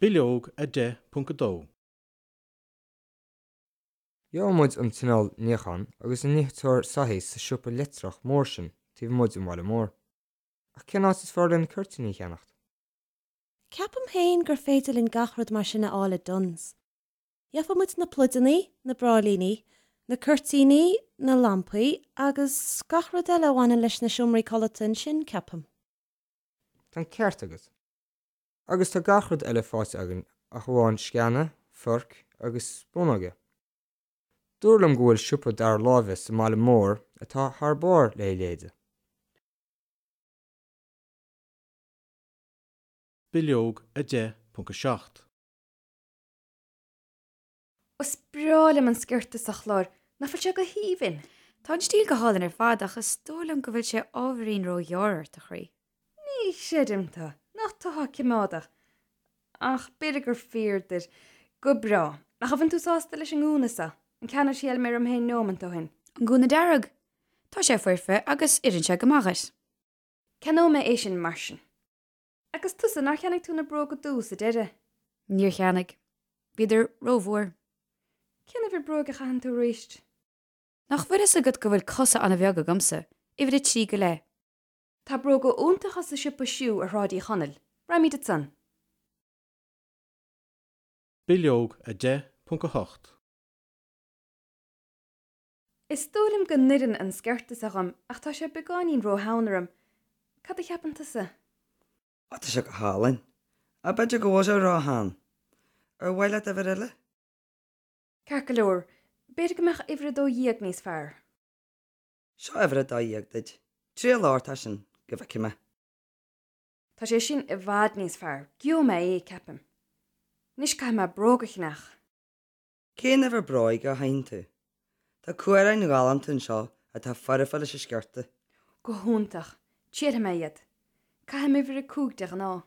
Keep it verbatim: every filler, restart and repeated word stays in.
Bileog a deich ponc a dó. Gheobhaidh muid an t-inneall níocháin agus an niteoir soithí sa siopa leictreach mór sin taobh amuigh den bhaile mór. Ach cén áit is fearr linn cuirtíní a cheannacht? Ceapaim féin gur féidir linn gach rud mar sin a fháil i Dunnes. Gheobhaidh muid na pluideanna, na bráillíní, na cuirtíní, na lampaí agus gach rud eile a bhaineann leis na seomraí codlata ansin, ceapaim. Tá an ceart agat. Agus tá gach rud eile faighte againn ach amháin sceana, forc agus spúnóga. Dúradh liom go bhfuil siopa dara láimhe sa mbaile mór atá thar barr le léide. Bileog a deich ponc a seacht. Is breá liom an sciorta seo a Chlár, nach bhfuil sé go haoibhinn? Tá an stíl go hálainn ar fad ach is dóigh liom go bhfuil sé ábhairín róghearr ort, a chroí. Ní chreidim tú, nach tú atá coimeádach. Ach b'fhéidir gur fíor duit. Go breá. Ach an bhfuil tú sásta leis an ngúna seo? An ceann a thriail mé orm féin nóiméad ó shin. An gúna dearg? Tá sé foirfe agus oireann sé go maith dhuit. Ceannóidh mé é sin mar sin. Agus tusa, nár cheannaigh tú na bróga dubha sa deireadh? Níor cheannaigh. Bhíodar rómhór. Cén uimhir bróg a chaitheann tú arís? Nach bhfuil fhios agat go bhfuil cosa an-bheag agamsa, uimhir a trí go leith. Tá bróga iontacha sa siopa Schuh ar Shráid Uí Chonaill. Raghaimid ansan. Bileog a deich ponc a hocht. Is dóigh liom go n-oireann an sciorta seo dhom ach tá sé beagáinín rótheann orm. Cad a cheapann tusa? Ó, tá sé go hálainn. Ach b'fhéidir go bhfuil sé rótheann. Ar mhaith leat uimhir eile? Ceart go leor, b'fhéidir go mbeadh uimhir a dó dhéag níos fearr. Seo uimhir a dó dhéag duit. Triail ort é sin, go bhfeicfidh mé. Tá sé sin i bhfad níos fearr. Gheobhaidh mé é, ceapaim. Anois caithfidh mé bróg a cheannach. Cén uimhir bróige a chaitheann tú? Tá cuaráin ghalánta anseo atá foirfe leis an sciorta. Go hiontach. Triailfidh mé iad. Caithim uimhir a cúig de ghnáth.